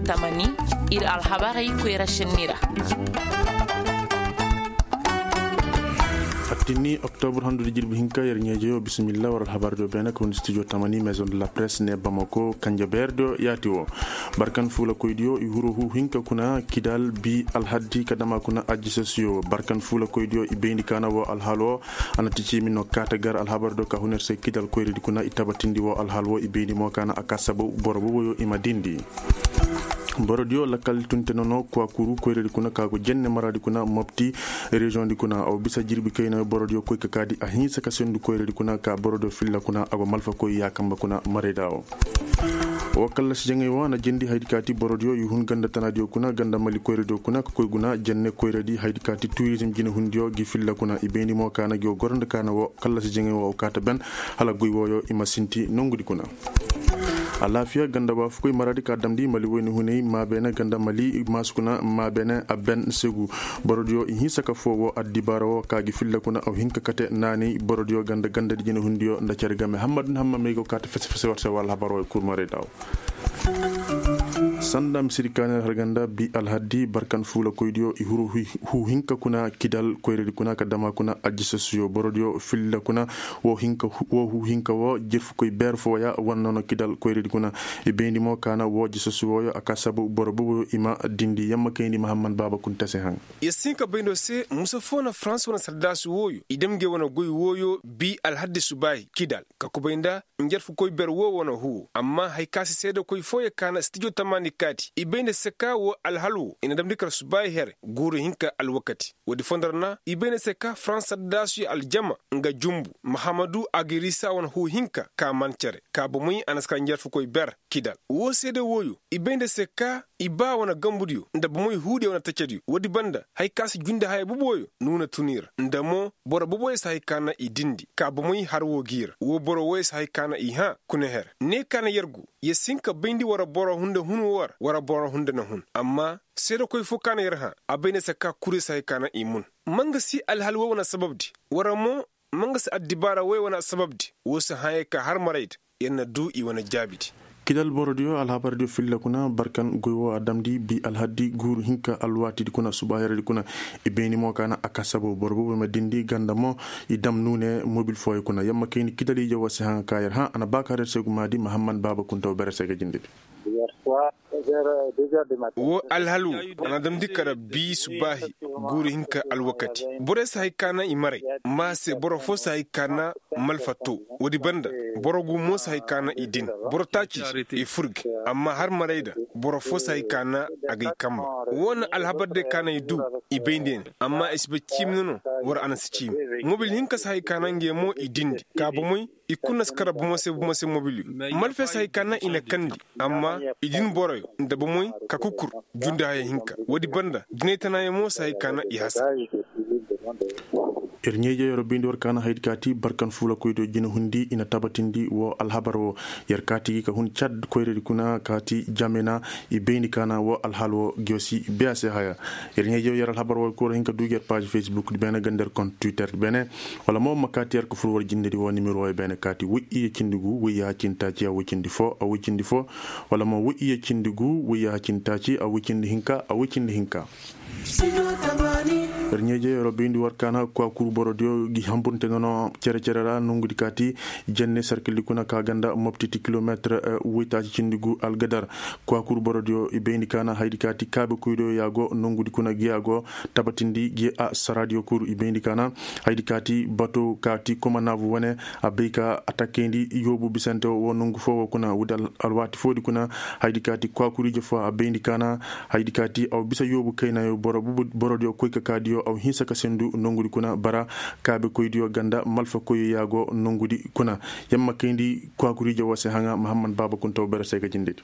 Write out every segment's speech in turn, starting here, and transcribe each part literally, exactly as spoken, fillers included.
Tamani, ir alhabarey koyra šenni ra. Attinni oktobur handudi jirbi hinka yer ɲeejeyo bisimilla war alhabardiyo beene ka hundi studio tamani maison de la presse ne bamako kanja beerdiyo yaati wo. Barkan fuulakoydiyo i huru hu hinka kuna kidal bi alhaddi ka dama kuna ajisasiyo barkan fuulakoydiyo i bayndi kaana wo alhal wo. A na ti ciimi no kaata gar alhabardiyo ka hun yer se kidal koyradi kuna i tabatindi wo alhal wo i bayndi mo kaana a ka sabu boro boboyo i ma dindi. Borodiyo lakkal tunte nono kuwakuru koyradi kuna ka go jenne maradi kuna mopti reziyoŋdi kuna aw bisa jirbi kaynayo borodiyo koy ka kaadi a hinsa ka sendu koyradi kuna ka borodiyo filla kuna a go malfa koy yaakamba kuna marayda wo. Wo kallasi jaŋay wo a na jendi haydi kaati borodiyo i hun ganda tanadiyo kuna ganda mali koyradiyo kuna ka koy guna jenne koyradi haydi kaati turizim jinehundiyo gi filla kuna i bayndi mo kaana gi wo goro nda kaana wo kallasi jaŋay wo aw kaata ben hala goy woyo i ma sinti nongudi kuna. Alaafiya ganda waafukoy maradi ka damndi mali woyni hunay maabeene ganda mali maasukuna maabeene a ben segu. Borodiyo i hinsa ka foo woo addibaara woo ka gi filla kuna aw hin ka kate naanay borodiyo ganda gandadi jinehundiyo nda cere game hammad nda hammamey go kaate fese fese war se woo alhabar woo i kurmarey daawo. Sanda misiri kaanir har ganda bi alhaddi barkan fuulakoydiyo i huru huu hinka kuna kidal koyradi kuna ka dama kuna ajisasiyo borodiyo filla kuna. Woo hinka woo huu hinka woo jirfukoy beer fooya wane nono kidal koyradi kuna. I bayndi mo kaana woo jisasu wooyo a ka sabu boro boboyo i ma dindi yamma kayndi mahamman baaba kunta se haŋ. Yer si hin ka bayndo se musa foo na farans wane sardaasu wooyo i dam ngey wane goy wooyo bi alhaddi subaahi kidal ka kubay nda njarfukoy beer woo wane huu amma haya ka se seedekoy fooyo kaana stijo tamaani kaati i bay nda se ka woo alhal woo i na damndi kar subaahi here guuru hinka alwakati. Woodi foo nda ra na i bay nda se ka farans sardaasu aljama nga jumbu mahamadu agirisa wane huu hinka ka man cere ka bomey a na si kar njarfukoy beer kidal woo seede wooyo i bay nda se ka i ba wane gambudiyo nda bomey huudiyo wane tacediyo woodi banda haya ka si jundi haya boboyo nuuna tun i ra nda mo boro boboyo si haya ka na i dindi ka bomey har woo gi i ra woo boro wooyo si haya ka na i hã kuna her ne ka na yer gu yer si hin ka bayndi war boro hunde hun woo ra war boro hunde na hun amma seedekoy foo ka na yer hã a bay nda se ka kuri si haya ka na i mun ma nga si alhal woo wane sababdi war mo ma nga si addibaara woo wane sababdi woo si hãyey ka har marayda yer na duu i wane jaabidi. Kidal borodiyo alhabardiyo filla kuna barkan goy woo a damndi bi alhaddi guuru hinka alwaatidi kuna subaaheredi kuna i bayni mo ka na a kasabo boro boobo ma dindi ganda mo i dam nuune mobil fooyo kuna yamma kayni kidal ije woo si haŋa ka yer hã a na ba ka der se gumaadi mahamman baaba kuntaw bere se ga jindedi. Woo alhalu a na damndi kara bii subaahi guuru hinka alwakati borey si hay ka na i maray ma se boro foo si hay ka na malfa too woodi banda boro gu mo si hay ka na i din boro taaci i furge amma har maray da boro foo si hay ka na a gay kamba woo na alhabar day ka na i duu i bay nda ya ne amma i si bay ciimi no no war a na si ciimi mobil hinka si hay ka na ngey mo i dindi ka bomey i kul na si kara bomo se bomo se mobiliyo malfey si hay ka na i na kandi amma i din boroyo nda bomey ka kukur jundi haya hinka woodi banda jinay tanaayo mo si hay ka na i hasa. Yer ɲeejey yer wo bayndi war ka na haydi kaati barkan fuulakoydiyo jinahundi i na tabatindi woo alhabar woo yer kaati gi ka hun cad koyradi kuna kaati jamena i bayndi ka na woo alhaal woo ngiyo si biya se haya. Yer ɲeejey yer alhabar woo kul ra hin ka duu gi yer paaz fesbukdi beene ganda yer kont twitterdi beene wala mo ma kaati yer ka fur war jindedi woo nimero woo beene kaati woy iyye cindi gu woy yaaha cindi taaci a woy cindi foo a woy cindi foo wala mo woy iyye cindi gu woy yaaha cindi taaci a woy cindi hinka a woy cindi hinka. Yer ɲeejey yer wo bayndi war ka na kwaakuru borodiyo gi hamburante nono cere-cere ra nongudi kaati jenne sarkildi kuna ka ganda moptiti kilomeetir woy taaci cindi gu algadar kwaakuru borodiyo i bayndi ka na haydi kaati kaabekoydiyo ya go nongudi kuna gi ya go tabatindi gi a saraadiyo kul i bayndi ka na haydi kaati bato kaati komanaabu wane a bay ka atakayndi yoobu bisante woo nongu foo woo kuna woodi alwaati foodi kuna haydi kaati kwaakuriije foo a bayndi ka na haydi kaati aw bisa yoobu kaynayo borodiyo koy ka kaadiyo aw hinsa ka sendu nongudi kuna bara kaabekoydiyo ganda malfakoyyo ya go nongudi kuna yamma kayndi kwaakuriije woo se haŋa mahamman baaba kuntaw bere se ga jindedi.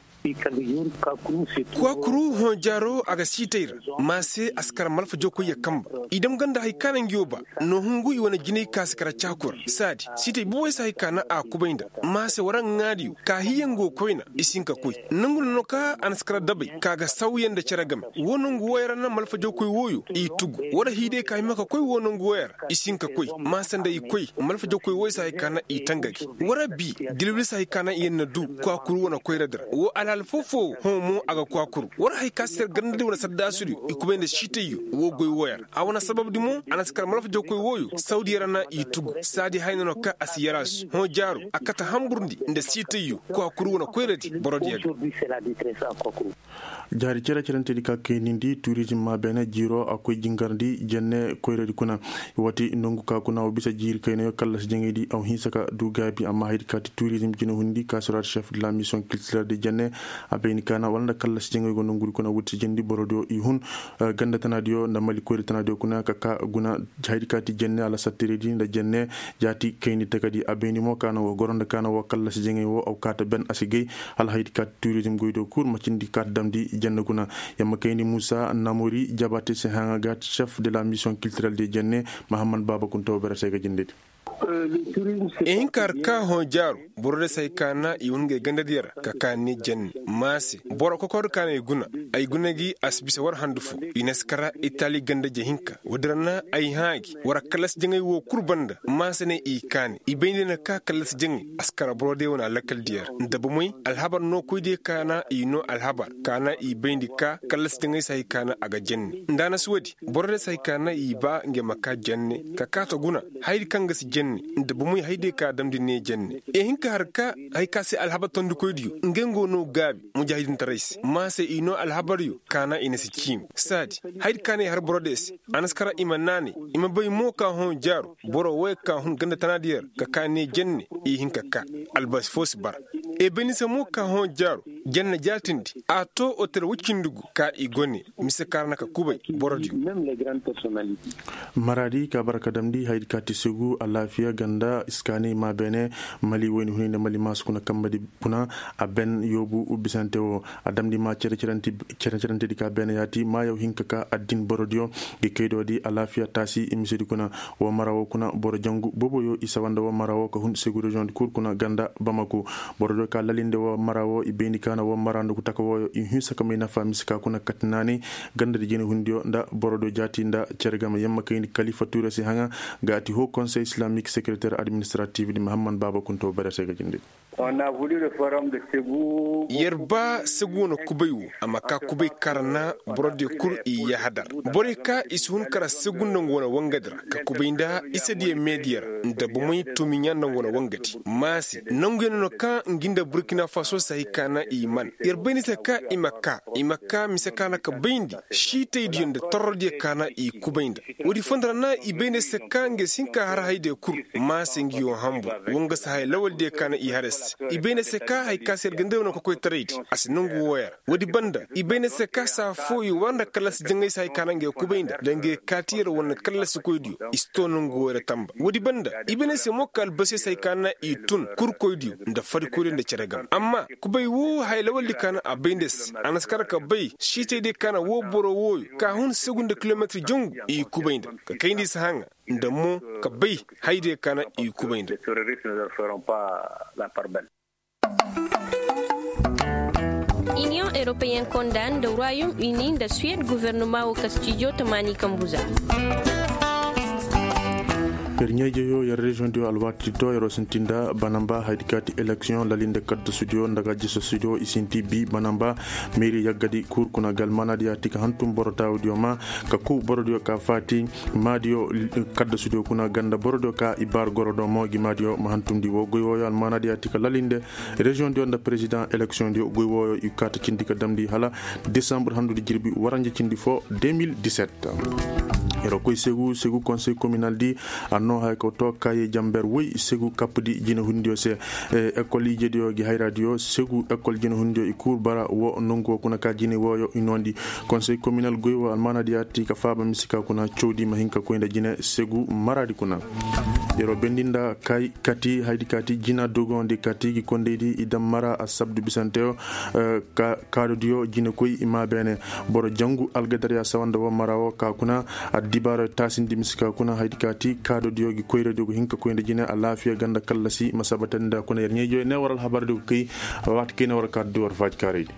Kwaakuru hõ jaaro a ga siitay ra ma se a si kar malfa jookoyyo kamba i dam ganda hay ka na ngiyo ba no hungu i wane jinay ka si kar caaku ra saadi siitay booboy si hay ka na a kubay nda ma se war ŋaadiyo ka hiyango koyna i si hin ka koy nongu no no ka a na si kar dabay ka ga sawya nda cere game woo nongu wooyo ra na malfa jookoy wooyo i tugu. War hay day ka hima ka koy woo nongu wooyo ra i si hin ka koy. Maasa nda i koy malfa jawkoy wooyo se hay ka na i tanga gi. War bi dilwil se hay ka na i yer na du kwaakuru wane koyra di ra woo alhaal foo-foo hõ mo a ga kwaakuru. War hay ka se yer ganda di wane saddaasudiyo i kubay nda siitayyo woo goy wooyo ra a wane sababdi mo a na si kar malfa jawkoy wooyo sawdiyo ra na i tugu saadi haya no no ka a si yaraasu hõ jaaru a kate hamburndi nda siitayyo kwaakuru wane koyradi borodiyo ga. Jaari cere-cerenteedi ka kaynindi turizim maa beene jiiroo a koy jingarndi jenne koyradi kuna. Woo ti nongu ka kuna wa bisa jiiri kaynayo kallasi jaŋaydi a wa hinsa ka du gaabi amma haydi ka ti turizim jinahundi ka suraadi šef de la misiyoŋ kiltirel de jenne. A bayni ka na wala nda kallasi jaŋay go nongudi kuna woo ti si jindi borodiyo i hun ganda tanaadiyo nda mali koyra tanaadiyo kuna ka ka guna. Haydi ka ti jenne alasattiredi nda jenne jaati kayni takadi a bayni mo ka na woo goro nda ka na woo kallasi jaŋay woo a wa kaata ben a si gay. Hala haydi ka ti turizim goydiyo kul macindi kaata damndi jenne guna. Yamma kayni muusa namori jabaate se haŋa ga ti šef de la misiyoŋ kiltirel de jenne. Mahammad baaba kunta woo bere se ga jindedi. I hin ka har ka hõ jaaru boro day se hay ka na i hun ngey gandadiyo ra ka ka ne jenne. Maase boro kokordi ka na ay guna ay guna gi a si bisa war handu foo. I na si kara itali ganda je hinka woodi ra na ay hã gi war kallasi jaŋay woo kul banda maase ne i kaani i bayndi na ka kallasi jaŋay a si kara boro day wane alakal diyo ra nda bomey alhabar nookoydiyo ka na i noo alhabar ka na i bayndi ka kallasi jaŋay se hay ka na a ga jenne nda a na si woodi. Boro day se hay ka na i ba ngey ma ka jenne ka kaata guna. Hayadi kaŋ ga si jenne nda bomey hayadiyo ka damndi ne jenne. I hin ka har ka hay ka se alhabar tondikoydiyo ngey ngo noo gaabi mujaahidintaray se maase i noo alhabaryo ka na i na si ciimi saadi. Hayadi ka na i har boro day se a na si kara i ma naanay i ma bay mo ka hõ jaaru boro wooyo ka hun ganda tanaadiyo ra ka ka ne jenne. I hin ka ka albasi foo si bara. I bay ni se mo ka hõ jaaru janna jaatindi a too otel woy cindi gu ka i go ne. Mise ka ra na ka kubay borodiyo. Maraadi ka bara ka damndi hayadi ka ti segu alaafiya ganda iskaani maa beene mali woyni huni nda mali maasu kuna kambadi kuna. A ben yoobu bisante woo a damndi maa cere-cerentedi ka beene yaati maayaw hinka ka addin borodiyo. Gi kaydoodi alaafiya taasi misedi kuna woo mara woo kuna boro jangu booboyo i sawa nda woo mara woo ka hun segu reziyoŋ di kul kuna ganda bamako. Borodiyo ka lalinde woo mara woo i bayndi ka na woo mara nda ku taka wooyo i hinsa ka may nafa mise ka kuna kati naanay gandadi jinahundiyo nda borodiyo jaati nda cere game yamma kayndi kalifa tuure si haŋa. Ga a ti hoo konsey islamik sekereter administratif di mahamman baaba kunto bere se ga jindi. Yer ba segu wane kubay wo a ma ka kubay kar na borodiyo kul i yahadar. Borey ka i si hun kar segu nda ngu wane wangadi ra ka kubay nda isediyo meediyo ra nda bomey tumiɲa nda ngu wane wangadi maase nonguyaŋ no ka ngi nda burkina faso se hay ka na i man yer bay ni se ka i ma ka i ma ka mise ka na ka bayndi. Siitaydiyo nda torrodiyo ka na i kubay nda woodi fondo ra na i bay ne se ka ngey si hin ka har hayadiyo kul. Maase ngi yoo hambur wo nga si haya lawaldiyo ka na i har se i bay ne se ka hay ka se yer ga nda wane kokoytaraydi a si nongu wooyo ra. Woodi banda i bay ne se ka saa foo i war nda kallasi jaŋay se hay ka na ngey kubay nda da ngey kaati yer war nda kallasikoydiyo i si too nongu wooyo ra tamba woodi banda i bay ne se mo ka albasiyo se hay ka na i tun kurkoydiyo nda farikoydiyo nda cere game amma kubay woo haya lawaldi ka na a bay nda se a na si kar ka bay siitaydiyo ka na woo boro wooyo ka hun segu nda kilometir jangu i kubay nda ka kayndi si haŋa nda mo ka bay hayadiyo ka na i kubay nda. Iniyoŋ europeyen konda nda royaume uni nda suwed guvernoma wo kastijo tamaani kambu za. Yer ɲaa-ijeyoo yer reziyoŋ diyo alwaati to yeroo sinti nda banamba hayadi ka ti eleksiyoŋ lalinde kaddasudiyo nda ga jisasudiyo i sinti bi banamba. Meeri yaggadi kul kuna ga almaanaadiyo a ti ka hantum boro taawudiyo ma ka ku borodiyo ka faati maadiyo. Kaddasudiyo kuna ganda borodiyo ka i baar goro do mo gi maadiyo ma hantumndi woo goy wooyo almaanaadiyo a ti ka lalinde reziyoŋdiyo nda perezidaŋ eleksiyoŋdiyo goy wooyo i kaata cindi ka damndi hala desambur handudi jirbi waranja cindi foo de mil diset. Yeroo koy segu segu konsey kominaldi a noo haya ka too kaaye jamber woy segu kappudi jinehundiyo se. Ekol ijediyo gi hayraadiyo segu ekol jinehundiyo i kul bara woo nongu woo kuna ka jine wooyo i noondi. Konsey kominal goy woo almaanaadiyo a ti ka faaba mise ka kuna cawdi ma hin ka koy nda jine segu maraadi kuna. Yeroo bendi nda kay kati hayadi ka ti jina dogondi kati gi kondaydi i dam mara asabdu bisante woo. Kaadodiyo jinekoy i maa beene boro jangu algadarya sawa nda woo mara woo ka kuna. Addibaaro taasindi mise ka kuna hayadi ka ti kaadodiyo gi koyradiyo go hin ka koy nda jine alaafiya ganda kallasi ma sabatandi nda kuna yer ɲaa-ijoyo ne war alhabardi go kay. Waati kay ne war kaadodi war faajikaaraydi.